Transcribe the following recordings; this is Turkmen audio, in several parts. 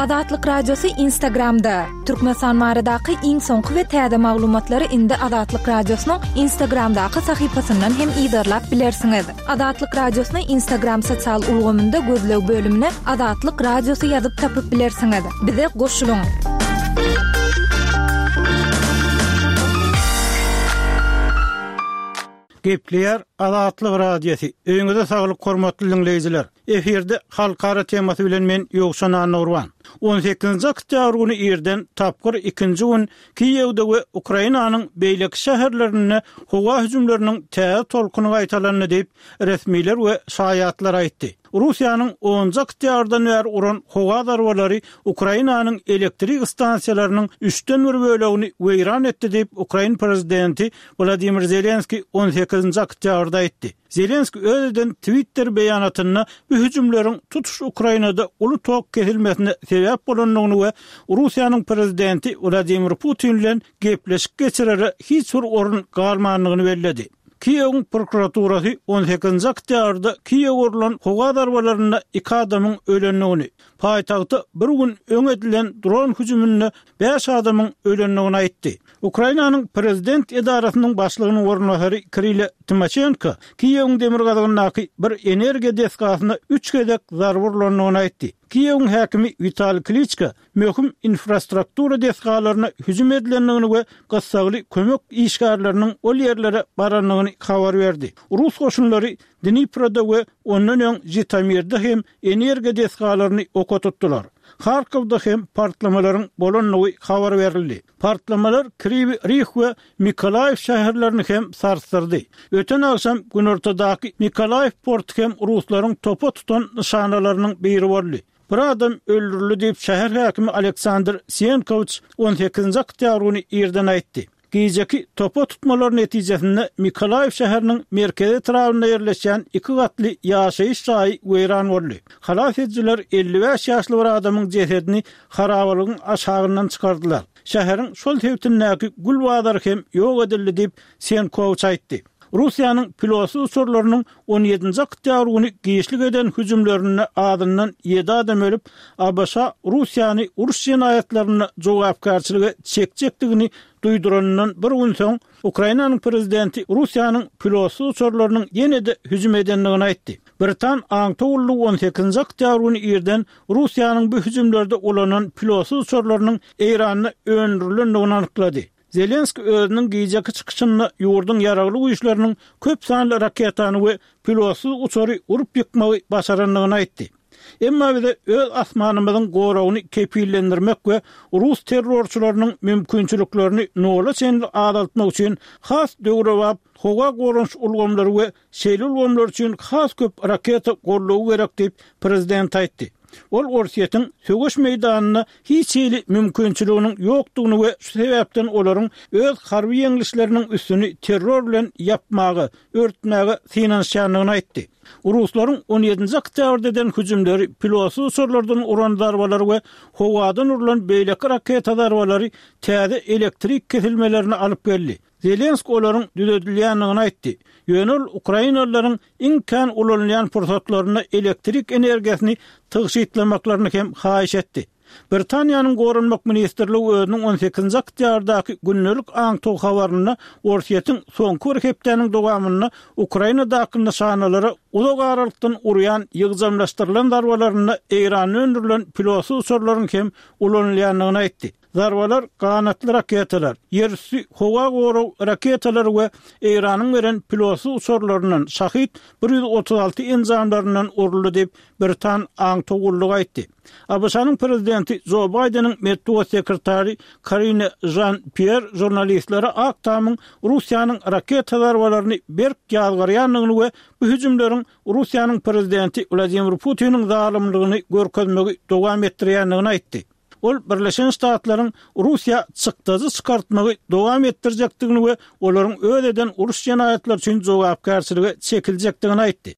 Azatlyk Radiosy Instagramda! Türkmenistan baradaky iň soňky we täze maglumatlary indi Azatlyk Radiosynyň Instagramdaky sahypasyndan hem yzarlap bilersiňiz. Azatlyk Radiosyny Instagram sosial ulgamynda gözleg bölümine Azatlyk Radiosy ýazyp tapyp bilersiňiz. Bize goşulyň! Gepleýär Azatlyk Radiosy. Öýüňize saglyk hormatly diňleýjiler. Efirde halkara temasy bilen men Ýowşan Annagurban. On sekizinji oktýabr güni irden tapgyr ikinji gün Kiýewde we Ukrainanyň beýleki şäherlerinde howa hüjümleriniň täze tolkuny gaýtalandy diýip, resmiler we şaýatlar aýtdy. Russiýanyň onunjy oktýabrdan bäri uran howa zarbalary Ukrainanyň elektrik stansiýalarynyň üçden bir bölegini weýran etdi diýip, ukrain prezidenti Wladimir Zelenskiý on sekizinji oktýabrda aýtdy. Zelenskiý öz eden Twitter beýanatynda bu hüjümleriň tutuş Ukrainada uly tok kesilmesine sebäp bolandygyny we Russiýanyň prezidenti Wladimir Putin bilen gepleşik geçirere hiç bir orun galmandygyny belledi. Kiýewiň prokuraturasy on sekizinji oktýabrda Kiýewe urlan howa zarbalarynda iki adamyň ölendigini, paýtagta bir gün öň edilen dron hüjüminde bäş adamyň ölendigini aýtdy. Ukrainanyň prezident edarasynyň başlygynyň orunbasary Kirile Timoşenko Kiýewiň demirgazygyndaky bir energiýa desgasyna üç gezek zarba urlandygyny aýtdy. Kiýewiň häkimi Witali Kliçko möhüm infrastruktura desgalaryna hüjüm edilendigini we gyssagly kömek işgärleriniň ol ýerlere barandygyny habar berdi. Rus goşunlary Dniproda we ondan öň Žitomirde hem energiýa desgalaryny oka tutdular. Harkowda hem partlamalaryň bolandygy habar berildi. Partlamalar Kriwi Rih we Mykolaýiw şäherlerini hem sarsdyrdy. Öten agşam günortadaky Mykolaýiw porty hem ruslaryň topa tutan nyşanalarynyň biri boldy. Bir adam öldürildi diýip, şäher häkimi Aleksandr Sienkowiç on sekizinji oktýabr güni irden aýtdy. Gijeki topa tutmalar netijesinde Mykolaýiw şäheriniň merkezi etrabynda ýerleşýän iki gatly ýaşaýyş jaýy weýran boldy. Halas edijiler 55 ýaşly bir adamyň jesedini harabalygyň aşagyndan çykardylar. Şäheriň şol sebitindäki gül bazary hem ýok edildi diýip, Senkowiç aýtdy. Russiýanyň pilotsyz uçarlarynyň on ýedinji oktýabr güni giçlik eden hüjümlerinde azyndan ýedi adam ölüp, ABŞ Russiýany uruş jenaýatlarynda jogapkärçilige çekjekdigini duýduranyndan bir gün soň, Ukrainanyň prezidenti Russiýanyň pilotsyz uçarlarynyň ýene-de hüjüm edendigini aýtdy. Britan aňtaw gullugy on sekizinji oktýabr güni irden Russiýanyň bu hüjümlerde ulanan pilotsyz uçarlarynyň Eýranda öndürilendigini anyklady. Zelenskiý özüniň gijeki çykyşynda ýurduň ýaragly güýçleriniň köp sanly raketany we pilotsyz uçary urup ýykmagy başarandygyny aýtdy. Emma bize öz asmanymyzyň goragyny kepillendirmek we rus terrorçylarynyň mümkinçiliklerini nola çenli azaltmak üçin has döwrebap howa goranyş ulgamlary we Şeýle ulgamlar üçin has köp raketa goldawy gerek diýip, prezident aýtdy. Ol Orsýetiň söweş meýdanynda hiç hili mümkinçiliginiň ýokdugyny we şu sebäpden olaryň öz harby ýeňlişleriniň üstüni terror bilen ýapmaga, örtmäge synanyşýandygyny aýtdy. Ruslaryň on ýedinji oktýabrda eden hüjümleri, pilotsyz uçarlardan uran zarbalary we howadan urlan beýleki raketa zarbalary täze elektrik kesilmelerine alyp geldi. Zelenskiý olaryň düzedilýändigini aýtdy. Ýöne ol ukrainalylaryň iň kän ulanylýan pursatlarynda elektrik energiýasyny tygşytlamaklaryny hem haýyş etdi. Britaniýanyň Goranmak ministrligi özüniň on sekizinji oktýabrdaky gündelik aňtaw habarynda Orsýetiň soňky bir hepdäniň dowamynda Ukrainadaky nyşanalara uzak aralykdan urýan ýygjamlaşdyrylan zarbalarynda Eýranda öndürilen pilotsyz uçarlaryň hem ulanylýandygyny aýtdy. Zarbalar ganatly raketalar, ýerüsti howa gorag raketalary we Eýranyň beren pilotsyz uçarlaryndan Şahid 136 enjamlaryndan uruldy diýip, britan aňtaw gullugy aýtdy. ABŞ-nyň prezidenti Jo Baýdeniň metbugat sekretary Karine Žan-Pýer žurnalistlere Ak Tamyň Russiýanyň raketa zarbalaryny berk ýazgarýandygyny we bu hüjümleriň Russiýanyň prezidenti Wladimir Putiniň zalymlygyny görkezmegi dowam etdirýändigini aýtdy. Ol Birleşen Ştatlaryň Russiýa çykdajy çykartmagy dowam etdirjekdigini we olaryň öz eden uruş jenaýatlary üçin jogapkärçilige çekiljekdigini aýtdy.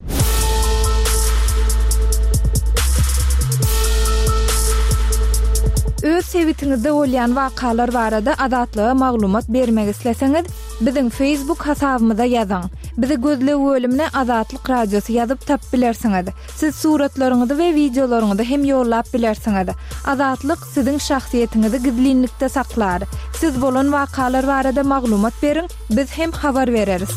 Öz sebitiňizde bolýan wakalar barada Azatlyga maglumat bermek isleseňiz, biziň Facebook hasabymyza ýazyň. Bizi gözleg bölümine Azatlyk Radiosy ýazyp tapyp bilersiňiz. Siz suratlaryňyzy we wideolaryňyzy hem ýollap bilersiňiz. Azatlyk siziň şahsyýetiňizi gizlinlikde saklar. Siz bolan wakalar barada maglumat beriň, biz hem habar bereris.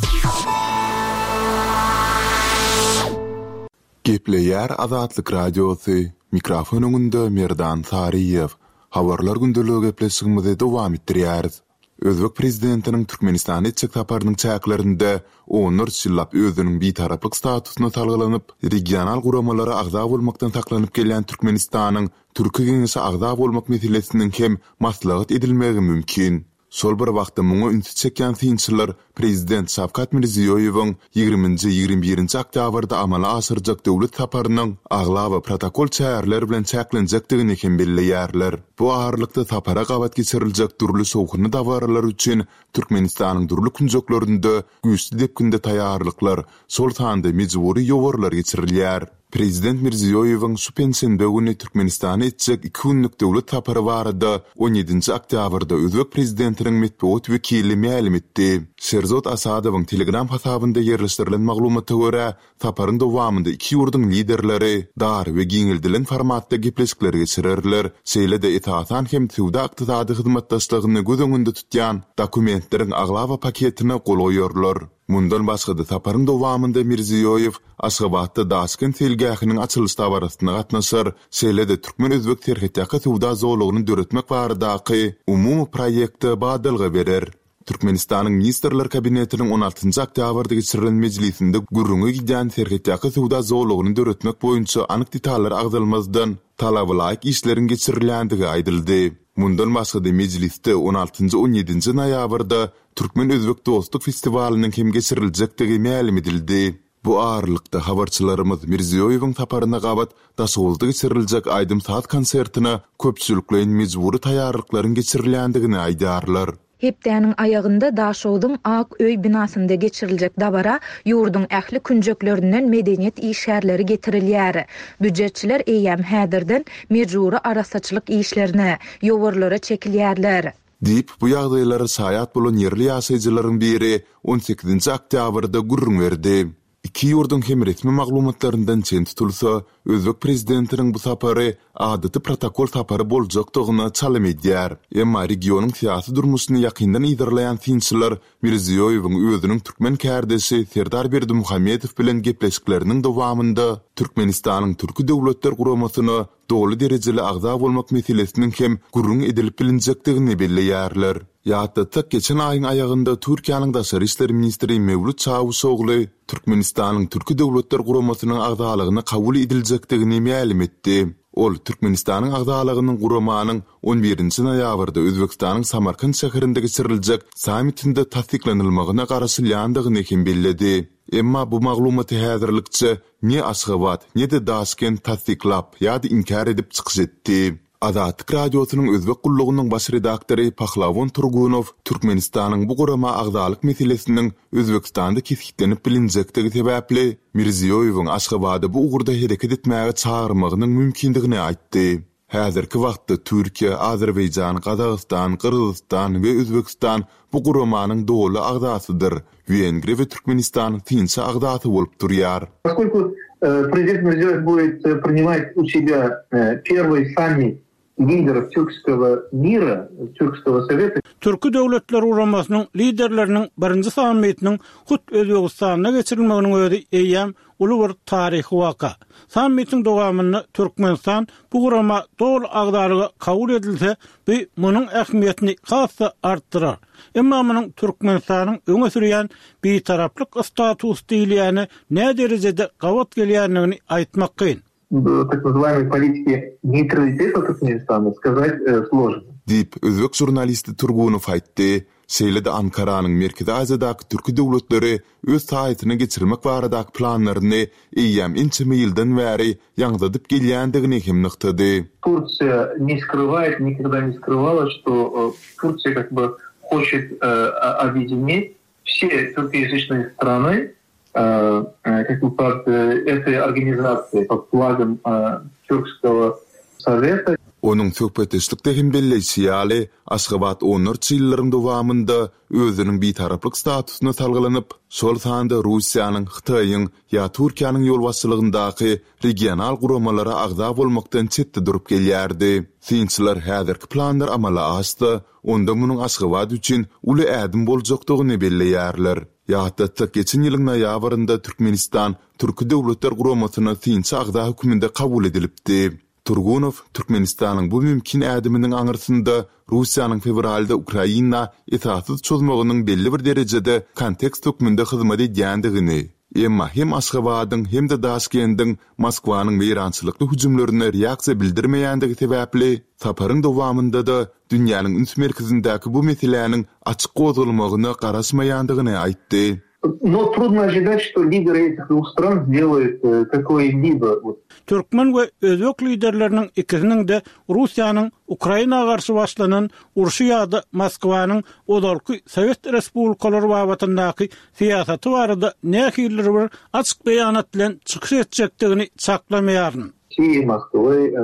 Gepleýär Azatlyk Radiosy, mikrofon öňünde Merdan Saryýew. Habarlar gündeligi gepleşigimizi dowam etdirýäris. Özbek prezidentiniň Türkmenistana etjek saparynyň çäklerinde onlarça ýyllap özüniň bitaraplyk statusyna salgylanyp, regional guramalara agza bolmakdan saklanyp gelýän Türkmenistanyň Türki Geňeşe agza bolmak meselesiniň hem maslahat edilmegi mümkin. Şol bir wagtda muňa ünsi çekýän synçylar prezident Şawkat Mirziýoýewiň ýigriminji-ýigrimi birinji oktýabrda amala aşyrjak döwlet saparynyň aglaba protokol çäreler bilen çäklenjekdigini hem belleýärler. Bu aralykda sapara gabat geçiriljek dürli şowhunly dabaralar üçin Türkmenistanyň dürli künjeklerinde güýçli depginde taýýarlyklar, şol sanda mejbury ýowarlar geçirilýär. Prezident Mirziýoýewiň şu penşenbe güni Türkmenistana etjek iki günlük döwlet sapary barada on ýedinji oktýabrda özbek prezidentiniň metbugat wekili mälim etdi. Şerzod Asadowyň Telegram hasabynda ýerleşdirilen maglumata görä, saparyň dowamynda iki ýurduň liderleri dar we giňeldilen formatda gepleşikler geçirerler, şeýle-de esasan hem söwda-ykdysady hyzmatdaşlygyny göz öňünde tutýan dokumentleriň aglaba paketine gol goýarlar. Mundan başga-da saparyň dowamynda Mirziýoýew Aşgabatda Daşkent seýilgähiniň açylyş dabarasyna gatnaşar, şeýle-de türkmen-özbek serhetýaka söwda zolagyny döretmek baradaky umumy proýekte badalga berer. Türkmenistanyň Ministrler Kabinetiniň on altynjy oktýabrda geçirilen mejlisinde gürrüňi gidýän serhetýaka söwda zolagyny döretmek boýunça anyk detallar agzalmazdan, talabalaýyk işleriň geçirilýändigi aýdyldy. Mundan başga-da mejlisde on altynjy-on ýedinji noýabrda Türkmen-özbek dostluk festiwalynyň hem geçiriljekdigi mälim edildi. Bu aralykda, habarçylarymyz Mirziýoýewiň saparyna gabat Daşoguzda geçiriljek aýdym-saz konsertine köpçülikleýin mejbury taýýarlyklaryň geçirilýändigini aýdýarlar. Hepdäniň aýagynda Daşogzuň Ak öý binasynda geçiriljek dabara ýurduň ähli künjeklerinden medeniýet işgärleri getirilýär. Býujetçiler eýýäm häzirden mejbury arassaçylyk işlerine, ýowarlara çekilýärler. Diýip, bu ýagdaýlara şaýat bolan ýerli ýaşaýjylaryň biri on sekizinji oktýabrda gürrüň berdi. Iki ýurduň hem resmi maglumatlaryndan çen tutulsa, özbek prezidentiniň bu sapary adaty protokol sapary boljakdygyna çalym edýär. Emma regionyň syýasy durmuşyny ýakyndan yzarlaýan synçylar Mirziýoýewiň özüniň türkmen kärdeşi Serdar Berdimuhamedow bilen gepleşikleriniň dowamynda Türkmenistanyň Türki Döwletler Guramasyna doly derejeli agza bolmak meselesiniň hem gürrüň edilip bilinjekdigini belleýärler. Ýatlatsak, geçen aýyň aýagynda Türkiýäniň daşary işler ministri Mewlüt Çawuşogly Türkmenistanyň Türki Döwletler Guramasynyň agzalygyna kabul ediljekdigini mälim etdi. Ol Türkmenistanyň agzalygynyň guramanyň on birinji noýabrda Özbegistanyň Samarkant şäherinde geçiriljek sammitinde tassyklanylmagyna garaşylýandygyny hem belledi. Emma bu maglumaty häzirlikçe Ne Aşgabat, ne-de Daşkent tassyklap ýa-da inkär edip çykyş etdi. Azatlyk Radiosynyň Özbek gullugynyň baş redaktory Pahlawon Turgunow Türkmenistanyň bu gurama agzalyk meselesiniň Özbegistanda kesgitlenip bilinjekdigi sebäpli, Mirziýoýewiň Aşgabada bu ugurda hereket etmäge çagyrmagynyň mümkindigini aýtdy. Häzirki wagtda Türkiýe, Azerbaýjan, Gazagystan, Gyrgyzystan we Özbegistan bu guramanyň doly agzasydyr. Wengriýa we Türkmenistan synçy agzasy bolup durýar. Poskoliku prezident Mirziýoýew budet prinimat u sebýa perwyý sammit liderov türkskogo mira, türkskogo soweta. Türki Döwletler Guramasynyň liderleriniň birinji sammitiniň hut Özbegistanda geçirilmeginiň özi eýýäm uly bir taryhy waka. Sammitiň dowamynda Türkmenistan bu gurama doly agzalyga kabul edilse, bu munuň ähmiýetini has-da artdyrar. Emma munuň Türkmenistanyň öňe sürýän bitaraplyk statusy diýilýäne näderejede gabat gelýändigini aýtmak kyn. Tak nazywayemoi politiki neýtraliteta Türkmenistana skazat složno. Diýip, özbek žurnalisti Turgunow aýtdy. Şeýle-de Ankaranyň Merkezi Aziýadaky türki döwletleri öz saýasyna geçirmek baradaky planlaryny eýýäm ençeme ýyldan bäri ýaňzydyp gelýändigini hem nygtady. Tursiýa ne skrywaet, nikogda ne skrywala, çto Tursiýa kak by hoçet obýedinit wse türkoýazyçnyý strany kak by pod etoý organizasiýaý, pod flagom Türkskogo soweta. Onuň söhbetdeşlikde hem belleýşi ýaly, Aşgabat onlarça ýyllaryň dowamynda özüniň bitaraplyk statusyna salgylanyp, şol sanda Russiýanyň, Hytaýyň ýa Türkiýäniň ýolbaşçylygyndaky regional guramalara agza bolmakdan çetde durup gelýärdi. Synçylar häzirki planlar amala aşsa, onda munuň Aşgabat üçin uly ädim boljakdygyny belleýärler. Ýatlatsak, geçen ýylyň noýabrynda Türkmenistan Türki Döwletler Guramasyna synçy agza hökmünde kabul edilipdi. Turgunow Türkmenistanyň bu mümkin ädiminiň aňyrsynda Russiýanyň fewralda Ukraina esassyz çozmagynyň belli bir derejede kontekst hökmünde hyzmat edýändigini, emma hem Aşgabadyň, hem-de Daşkendiň Moskwanyň weýrançylykly hüjümlerine reaksiýa bildirmeýändigi sebäpli, saparyň dowamynda-da dünýäniň üns merkezindäki bu meseläniň açyk gozgalmagyna garaşmaýandygyny aýtdy. No trudno ожидать, что lidery etih dwuh stran sdeloýut kakoý-libo. Türkmen we özbek liderleriniň ikisiniň-de Russiýanyň Ukraina garşy başlanan urşy ýa-da Moskwanyň ozalky sowet respublikalary babatyndaky syýasaty barada nähilidir bir açyk beýanat bilen çykyş etjekdigini çaklamaýaryn. России, Moskwy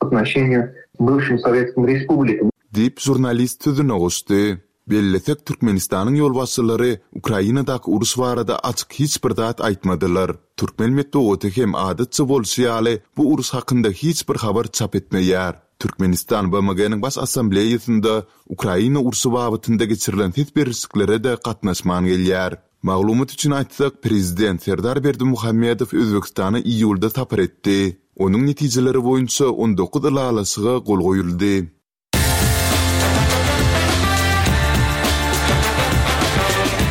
Отноşeniýa bywşim sowetskim respublikam. Diýip, žurnalist sözüne goşdy. Bellesek, Türkmenistanyň ýolbaşçylary Ukrainadaky uruş barada açyk hiç bir zat aýtmadylar. Türkmen metbugaty hem adatça bolşy ýaly bu uruş hakynda hiç bir habar çap etmeýär. Türkmenistan BMG-niň Baş Assambleýasynda Ukraina urşy babatynda geçirilen ses berişliklere-de gatnaşman gelýär. Maglumat üçin aýtsak, prezident Serdar Berdimuhamedow Özbegistana iýulda sapar etdi. Onuň netijeleri boýunça 19 ylalaşyga gol goýuldy.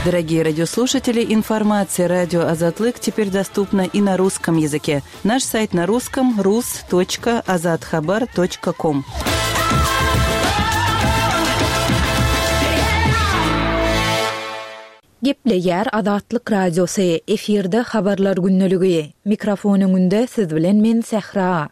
Дорогие радиослушатели, информация радио Азатлык теперь доступна и на русском языке. Наш сайт на русском rus.azathabar.com. Gepleýär Azatlyk Radiosy, efirde Habarlar gündeligi. Mikrofon öňünde siz bilen men Sähra.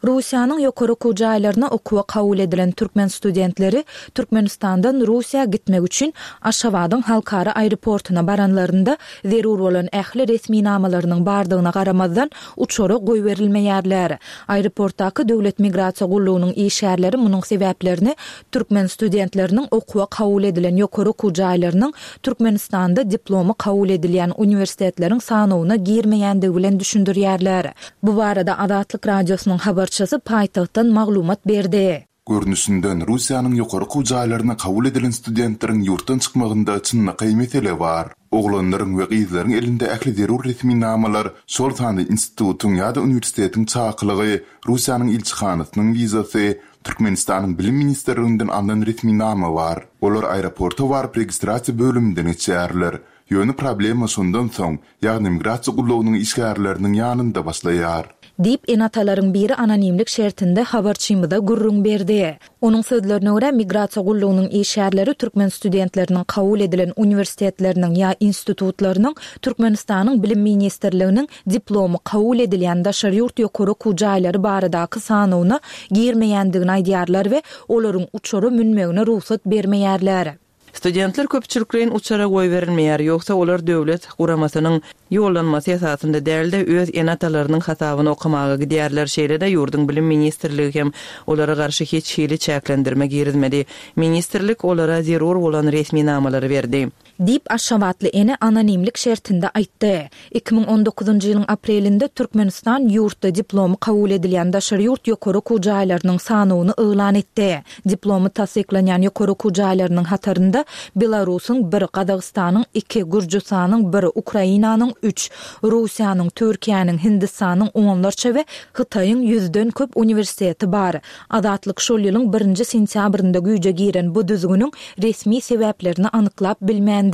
Russiýanyň ýokary okuw jaýlaryna okuwa kabul edilen türkmen studentleri Türkmenistandan Russiýa gitmek üçin Aşgabadyň halkara aeroportuna baranlarynda zerur bolan ähli resminamalarynyň bardygyna garamazdan uçara goýberilmeýärler. Aeroportdaky Döwlet migrasiýa gullugynyň işgärleri munuň sebäplerini Türkmen studentleriniň okuwa kabul edilen ýokary okuw jaýlarynyň Türkmenistanda diplomy kabul edilýän uniwersitetleriň sanawyna girmeýändigi bilen düşündirýärler. Bu barada Azatlyk Radiosynyň habarçysy paýtagtdan maglumat berdi. Görnüşinden, Russiýanyň ýokary okuw jaýlaryna kabul edilen studentleriň ýurtdan çykmagynda çynlakaý mesele bar. Oglanlaryň we gyzlaryň elinde ähli zerur resminamalar, şol sanda institutyň ýa-da uniwersitetiň çakylygy, Russiýanyň ilçihanasynyň wizasy, Türkmenistanyň Bilim ministrliginden alnan resminama bar. Olar aeroporta baryp registrasiýa bölüminden geçýärler. Ýöne problema şondan soň, ýagny migrasiýa gullugynyň işgärleriniň ýanynda başlaýar. Diýip, ene-atalaryň biri anonimlik şertinde habarçymyza gürrüň berdi. Onuň sözlerine görä, migrasiýa gullugynyň işgärleri türkmen studentleriniň kabul edilen uniwersitetleriniň ýa institutlarynyň Türkmenistanyň Bilim ministrliginiň diplomy kabul edilýän daşary ýurt ýokary okuw jaýlary baradaky sanawyna girmeýändigini aýdýarlar we olaryň uçara münmegine rugsat bermeýärler. Studentler köpçülikleýin uçara goýberilmeýär, ýogsa olar döwlet guramasynyň ýollanmasy esasynda däl-de, öz ene-atalarynyň hasabyna okamaga gidýärler, şeýle-de ýurduň Bilim ministrligi hem olara garşy hiç hili çäklendirme girizmedi. Ministrlik olara zerur bolan resminamalary berdi. Diýip, aşgabatly ene anonimlik şertinde aýtdy. 2019-njy ýylyň aprelinde Türkmenistan ýurtda diplomy kabul edilýän daşary ýurt ýokary okuw jaýlarynyň sanawyny yglan etdi. Diplomy tassyklanýan ýokary okuw jaýlarynyň hatarynda Belarusyň bir, Gazagystanyň iki, Gürjüstanyň bir, Ukrainanyň üç, Russiýanyň, Türkiýäniň, Hindistanyň onlarça we Hytaýyň ýüzden köp uniwersiteti bar. Azatlyk şol ýylyň birinji sentýabrynda güýje giren bu düzgüniň resmi sebäplerini anyklap bilmändi.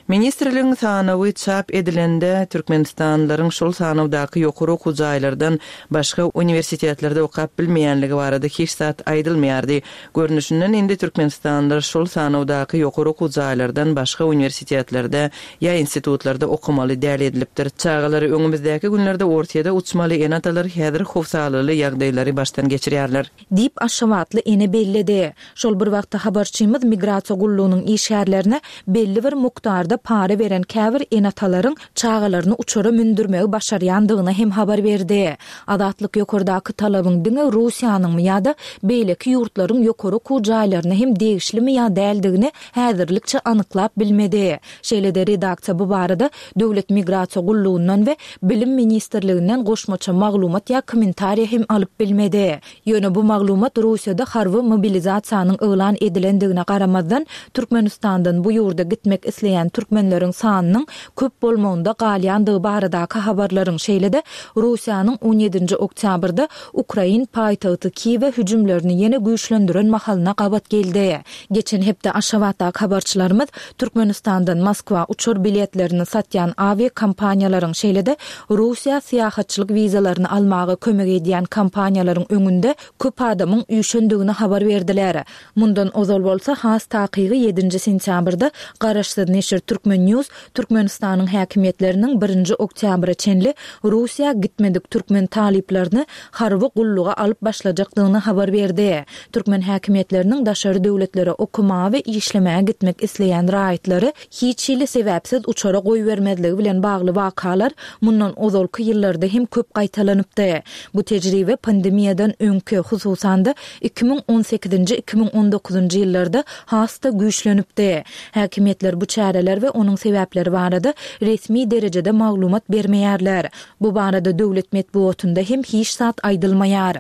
Ministrligiň sanawy çap edilende, türkmenistanlylaryň şol sanawdaky ýokary okuw jaýlardan başga uniwersitetlerde okap bilmeýänligi barada hiç zat aýdylmaýardy. Görnüşinden, indi türkmenistanlylar şol sanawdaky ýokary okuw jaýlardan başga uniwersitetlerde ýa institutlarda okamaly däl edilipdir. Çagalary öňümizdäki günlerde Orsýede uçmaly ene-atalar häzir howsalaly ýagdaýlary başdan geçirýärler. Diýip, aşgabatly ene belledi. Şol bir wagtda habarçymyz migrasiýa gullugynyň işgärlerine belli bir. mukdarda para beren käbir ene-atalaryň çagalaryny uçara mündürmegi başarýandygyny hem habar berdi. Azatlyk ýokardaky talabyň diňe Russiýanyňmy ýa-da beýleki ýurtlaryň ýokary okuw jaýlaryna hem degişlimi ýa däldigini häzirlikçe anyklap bilmedi. Şeýle-de redaksiýa bu barada Döwlet migrasiýa gullugyndan we Bilim ministrliginden goşmaça maglumat ýa kommentariýa hem alyp bilmedi. Ýöne bu maglumat Russiýada harby mobilizasiýanyň yglan edilendigine garamazdan, Türkmenistandan bu ýurda gitmek isleýän türkmenleriň sanynyň köp bolmagynda galýandygy baradaky habarlaryň, şeýle-de Russiýanyň on ýedinji oktýabrda ukrain paýtagty Kiýewe hüjümlerini ýene güýçlendiren mahalyna gabat geldi. Geçen hepde Aşgabatdaky habarçylarymyz Türkmenistandan Moskwa uçar biletlerini satýan awiakompaniýalaryň, şeýle-de Russiýa syýahatçylyk wizalaryny almaga kömek edýän kompaniýalaryň öňünde köp adamyň üýşendigini habar berdiler. Mundan ozal bolsa, has takygy ýedinji sentýabrda garaşsyz neşir Turkmen. News Türkmenistanyň häkimiýetleriniň birinji oktýabra çenli Russiýa gitmedik türkmen talyplaryny harby gulluga alyp başlajakdygyny habar berdi. Türkmen häkimiýetleriniň daşary döwletlere okamaga we işlemäge gitmek isleýän raýatlary hiç hili sebäpsiz uçara goýbermezligi bilen bagly wakalar mundan ozalky ýyllarda hem köp gaýtalanypdy. Bu tejribe pandemiýadan öňki, hususan-da, 2018-nji, 2019-njy ýyllarda has-da güýçlenipdi. Häkimiýetler bu çäreler we onuň sebäpleri barada resmi derejede maglumat bermeýärler. Bu barada döwlet metbugatynda hem hiç zat aýdylmaýar.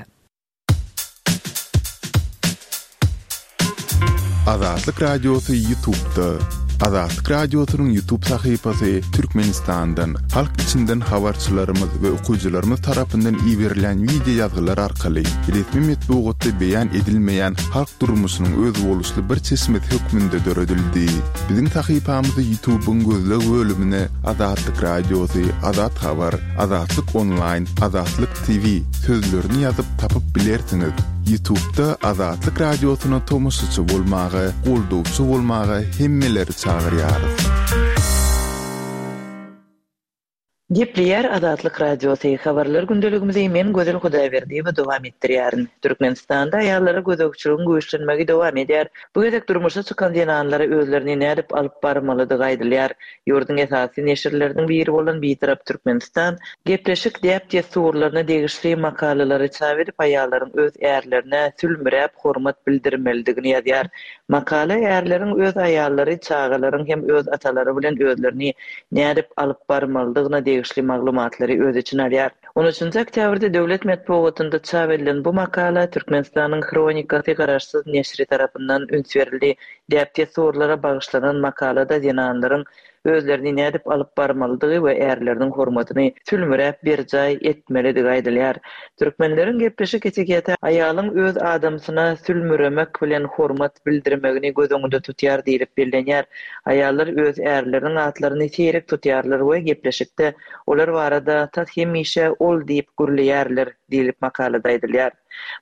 Azatlyk Radiosy Ýutubda. Azatlyk Radiosynyň Ýutub sahypasy Türkmenistandan, halk içinden habarçylarymyz we okyjylarymyz tarapyndan iberilýän wideo ýazgylar arkaly resmi metbugatda beýan edilmeýän halk durmuşynyň özboluşly bir çeşmesi hökmünde döredildi. Biziň sahypamyzy Ýutubyň gözleg bölümine Azatlyk Radiosy, Azat Habar, Azatlyk Onlaýn, Azatlyk TV sözlerini ýazyp tapyp bilersiňiz. Ýutubda Azatlyk Radiosyna tomaşaçy bolmaga, goldawçy bolmaga hemmeleri çagyrýarys. Gepleýär Azatlyk Radiosy, Habarlar gündeligimizi men Gözel Hudaýberdiýewa dowam etdirýärin. Türkmenistanda aýallara gözegçiligiň güýçlenmegi dowam edýär. Bu gezek durmuşa çykan zenanlara özlerini nädip alyp barmalydygy aýdylýar. Ýurduň esasy neşirleriniň biri bolan Bitarap Türkmenistan gepleşik däp-dessurlaryna degişli makalalary çap edip, aýallaryň öz ärlerine sülmüräp hormat bildirmelidigini ýazýar. Makala ärleriň öz aýallary, çagalaryň hem öz atalary bilen özlerini nädip alyp barmalydygyna degişli maglumatlary öz içine alýar. On üçünji oktýabrda döwlet metbugatynda çap edilen bu makala Türkmenistanyň Hronikasy garaşsyz neşiri tarapyndan üns berildi. Däp-dessurlara bagyşlanan makalada zenanlaryň özlerini nädip alyp barmalydygy we ärleriniň hormatyny sülmüräp berjaý etmelidigi aýdylýar. Türkmenleriň gepleşik etiketi aýalyň öz adamsyna sülmüremek bilen hormat bildirmegini göz öňünde tutýar diýlip bellenýär. Aýallar öz ärleriniň atlaryny seýrek tutýarlar we gepleşikde olar barada tas hemişe ol diýip gürleýärler diýlip makalada aýdylýar.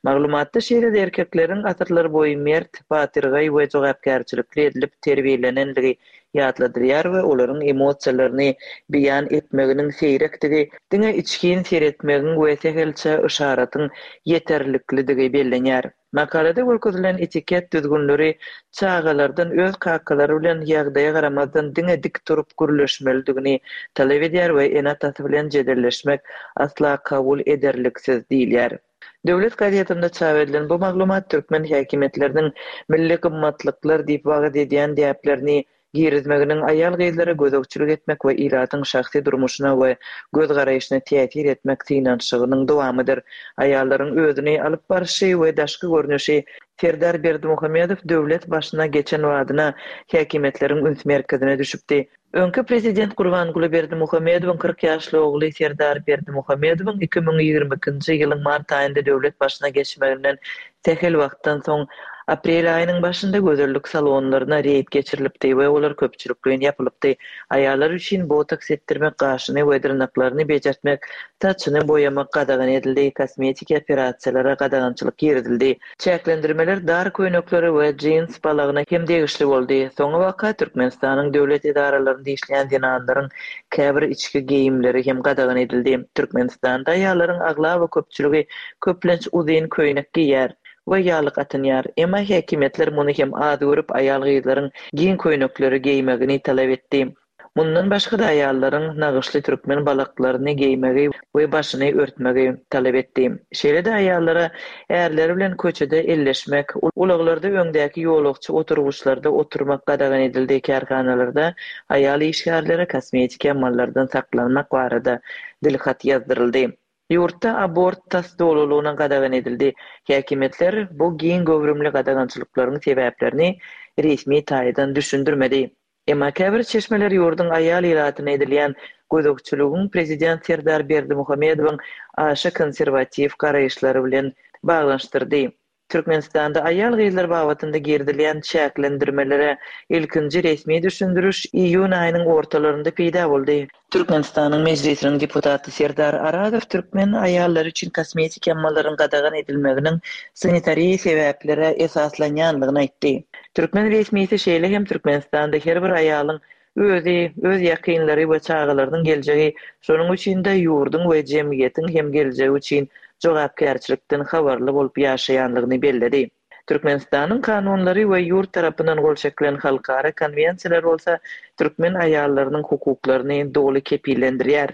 Maglumatda şeýle-de erkekleriň asyrlar boýy mert, batyrgaý we jogapkärçilikli edilip terbiýelenendigi ýatladylýar we olaryň emosiýalaryny beýan etmeginiň seýrekdigi, diňe içgin seretmegiň we sähelçe yşaratyň ýeterliklidigi bellenýär. Makalada görkezilen etiket düzgünleri çagalardan öz kakalary bilen ýagdaýa garamazdan diňe dik durup gürleşmelidigini talap edýär we ene-atasy bilen jedelleşmek asla kabul ederliksiz diýilýär. Döwlet gazetinde çap edilen bu maglumat türkmen häkimiýetleriniň milli gymmatlyklar diýip wagyz edýän däplerini girizmeginiň aýal-gyzlara gözegçilik etmek we ilatyň şahsy durmuşyna we göz-garaýşyna täsir etmek synanyşygynyň dowamydyr. Aýallaryň özüni alyp barşy we daşky görnüşi Serdar Berdimuhamedow döwlet başyna geçen badyna häkimiýetleriň üns merkezine düşüpdi. Öňki prezident Gurbanguly Berdimuhamedowyň 40 ýaşly ogly Serdar Berdimuhamedowyň 2022-nji ýylyň mart aýynda döwlet başyna geçmeginden sähel wagtdan soň, aprel aýynyň başynda gözellik salonlaryna reýd geçirilipdi we olar köpçülikleýin ýapylypdy. Aýallar üçin botoks etdirmek, gaşyny we dyrnaklaryny bejertmek, saçyny boýamak gadagan edildi, kosmetiki operasiýalara gadagançylyk girizildi. Çäklendirmeler dar köýneklere we jins balagyna hem degişli boldy. Soňabaka Türkmenistanyň döwlet edaralarynda işleýän zenanlaryň käbir içki geýimleri hem gadagan edildi. Türkmenistanda aýallaryň aglaba köpçüligi köplenç uzyn köýnek geýýär. we ýaglyk atynýar. Emma häkimiýetler muny hem az görüp, aýal-gyzlaryň giň köýnekleri geýmegini talap etdi. Mundan başga-da aýallaryň nagyşly türkmen balaklaryny geýmegi we başyny örtmegi talap etdi. Şeýle-de aýallara ärleri bilen köçede elleşmek, ulaglarda öňdäki ýolagçy oturgyçlarda oturmak gadagan edildi, kärhanalarda aýal işgärlere kosmetiki amallardan saklanmak barada dilhat ýazdyryldy. Ýurtda abort tas dolulygyna gadagan edildi. Häkimiýetler bu giň göwrümli gadagançylyklaryň sebäplerini resmi taýdan düşündirmedi. Emma käbir çeşmeler ýurduň aýal ilatyna edilýän gözegçiligiň prezident Serdar Berdimuhamedowyň aşa konserwatiw garaýyşlary bilen baglanyşdyrdy. Türkmenistanda aýal-gyzlar babatynda girizilýän çäklendirmelere ilkinji resmi düşündiriş iýun aýynyň ortalarynda peýda boldy. Türkmenistanyň Mejlisiniň deputaty Serdar Arazow türkmen aýallary üçin kosmetiki amallaryň gadagan edilmeginiň sanitariýa sebäplere esaslanýandygyny aýtdy. Türkmen resmisi şeýle hem Türkmenistanda her bir aýalyň Özi, öz ýakynlary we çagalarynyň geljegi, şonuň üçin-de ýurduň we jemgyýetiň hem geljegi üçin jogapkärçilikden habarly bolup ýaşaýanlygyny belledi. Türkmenistanyň kanunlary we ýurt tarapyndan gol çekilen halkara konwensiýalar bolsa türkmen aýallarynyň hukuklaryny doly kepillendirýär.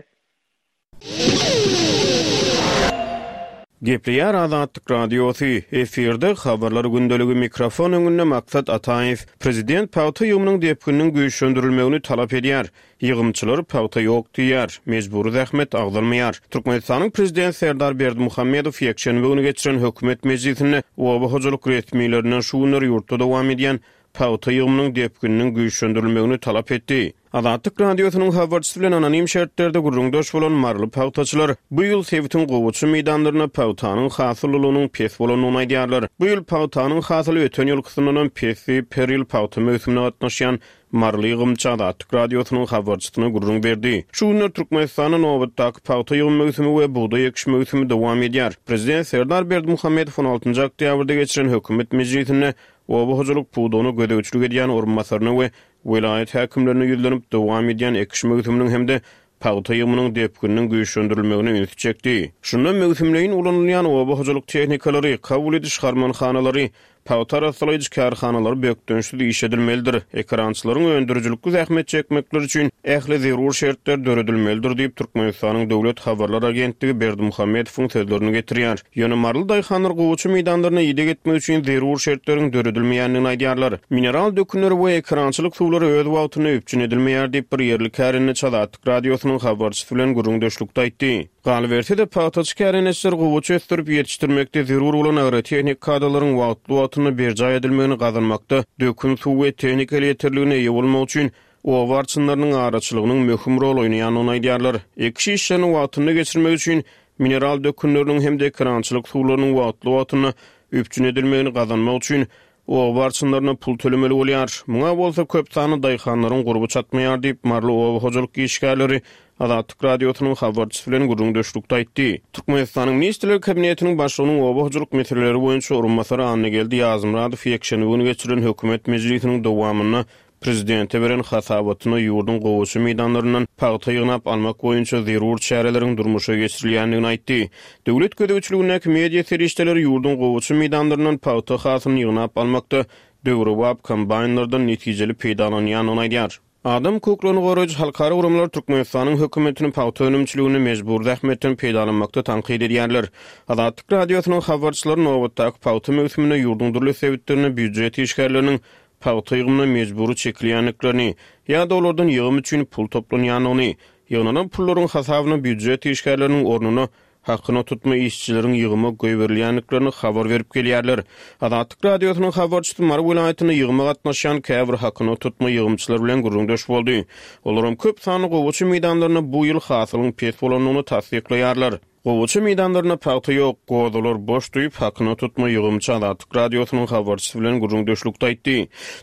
Gepleýär Azatlyk Radiosy, efirde Habarlar gündeligi mikrofon öňünde Maksat Ataýew. Prezident pagta ýygymynyň depgininiň güýçlendirilmegini talap edýär. Ýygymçylar pagta ýok diýýär, mejbury zähmet agzalmaýar. Türkmenistanyň Prezidenti Serdar Berdimuhamedow ýekşenbe güni geçiren hökümet mejlisinde oba hojalyk resmilerinden şu günler ýurtda dowam edýän pagta ýygymynyň depgininiň güýçlendirilmegini talap etdi. Azatlyk Radiosynyň habarçysy bilen anonim şertlerde gürrüňdeş bolan maryly pagtaçylar bu ýyl sebitiň gowaça meýdanlarynda pagtanyň hasyllylygynyň pes bolandygyny aýdýarlar. Bu ýyl pagtanyň hasyly öten ýylkysyndanam pes diýip, her ýyl pagta möwsümine gatnaşýan maryly ýygymçy Azatlyk Radiosynyň habarçysyna gürrüň berdi. Şu günler Türkmenistanda nobatdaky pagta ýygym möwsümi we bugdaý ekiş möwsümi dowam edýär. Prezident Serdar Berdimuhamedow on altynjy oktýabrda geçiren hökümet mejlisinde oba hojalyk pudagyna gözegçilik edýän orunbasaryna we welaýat häkimlerine ýüzlenip, dowam edýän ekiş möwsüminiň hem-de pagta ýygymynyň depgininiň güýçlendirilmegine ünsi çekdi. Şunda möwsümleýin ulanylýan oba hojalyk tehnikalary, kabul ediş harmanhanalary, pagta arassalaýjy kärhanalary bökdençsiz işledilmelidir, ekerançylaryň öndürijilikli zähmet çekmekleri üçin ähli zerur şertler döredilmelidir diýip, Türkmenistanyň döwlet habarlar agentligi Berdimuhamedowyň sözlerini getirýär. Ýöne maryly daýhanlar gowaça meýdanlaryna ideg etmek üçin zerur şertleriň döredilmeýändigini aýdýarlar. Mineral dökünleri we ekerançylyk suwlary öz wagtynda üpjün edilmeýär diýip, bir ýerli kärendeçi Azatlyk Radiosynyň habarçysy bilen gürrüňdeşlikde aýtdy. Galyberse-de, pagtaçy kärendeçiler gowaça ösdürip ýetişdirmekde zerur bolan agrotehnik kadalaryň wagtly-wagtynda berjaý edilmegini gazanmakda dökün suw we tehnika elýeterligine eýe bolmak üçin oba arçynlarynyň araçylygynyň möhüm rol oýnaýandygyny aýdýarlar. Ekiş işlerini wagtynda geçirmek üçin mineral dökünleriniň hem-de ekerançylyk suwlarynyň wagtly-wagtynda üpjün edilmegini gazanmak üçin oba arçynlaryna pul tölemeli bolýar. Muňa bolsa köp sanly daýhanlaryň gurby çatmaýar diýip, maryly oba hojalyk işgärleri Azatlyk Radiosynyň habarçysy bilen gürrüňdeşlikde aýtdy. Türkmenistanyň Ministrler Kabinetiniň Başlygynyň oba hojalyk meseleleri boýunça orunbasary Annageldi Ýazmyradow ýekşenbe güni geçirilen hökümet mejlisiniň dowamynda Prezidente beren hasabatynda ýurduň gowaça meýdanlaryndan pagta ýygnap almak boýunça zerur çäreleriň durmuşa geçirilýändigini aýtdy. Döwlet gözegçiligindäki media serişdeleri ýurduň gowaça meýdanlaryndan pagta hasylyny ýygnap almakda döwrebap kombaýnlardan netijeli peýdalanýandygyny aýdýar. Adam hukuklaryny goraýjy halkara guramalar Türkmenistanyň hökümetini pagta önümçiliginde mejbury zähmetden peýdalanmakda tankyt edýärler. Azatlyk Radiosynyň habarçylary nobatdaky pagta möwsüminde ýurduň dürli sebitlerinde býujet işgärleriniň pagta ýygymyna mejbury çekilýändiklerini ýa-da olardan ýygym üçin pul toplanýandygyny, ýygnalan pullaryň hasabyna býujet işgärleriniň ornuna hakyna tutma işçileriň ýygyma goýberilýändiklerini habar berip gelýärler. Azatlyk Radiosynyň habarçysy Mary welaýatynda ýygyma gatnaşýan käbir hakyna tutma ýygymçylar bilen gürrüňdeş boldy. Olaram köp sanly gowaça meýdanlarynda bu ýyl hasylyň pes bolandygyny tassyklaýarlar. Gowaça meýdanlarynda pagta ýok, gozalar boş diýip, hakyna tutma ýygymçy Azatlyk Radiosynyň habarçysy bilen gürrüňdeşlikde aýtdy.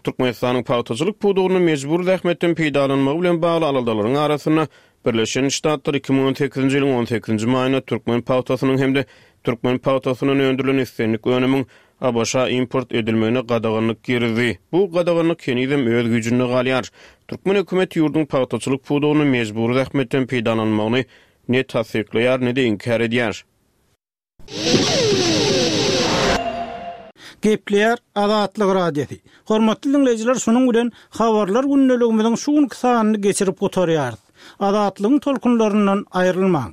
Türkmenistanyň pagtaçylyk pudagynda mejbury zähmetden peýdalanmagy bilen bagly aladalaryň arasynda Birleşen Ştatlar 2018-nji ýylyň on sekizinji maýynda türkmen pagtasynyň hem-de türkmen pagtasyndan öndürilen islendik önümiň ABŞ-a import edilmegine gadaganlyk girizdi. Bu gadaganlyk henizem öz güýjünde galýar. Türkmen hökümeti ýurduň pagtaçylyk pudagynda mejbury zähmetden peýdalanmagyny Ne tassyklaýar, ne-de inkär edýär. Gepleýär Azatlyk Radiosy. Hormatly diňleýjiler şunuň bilen Habarlar gündeligimiziň şu günki sanyny geçirip gutarýarys. Azatlygyň tolkunlaryndan aýrylmaň.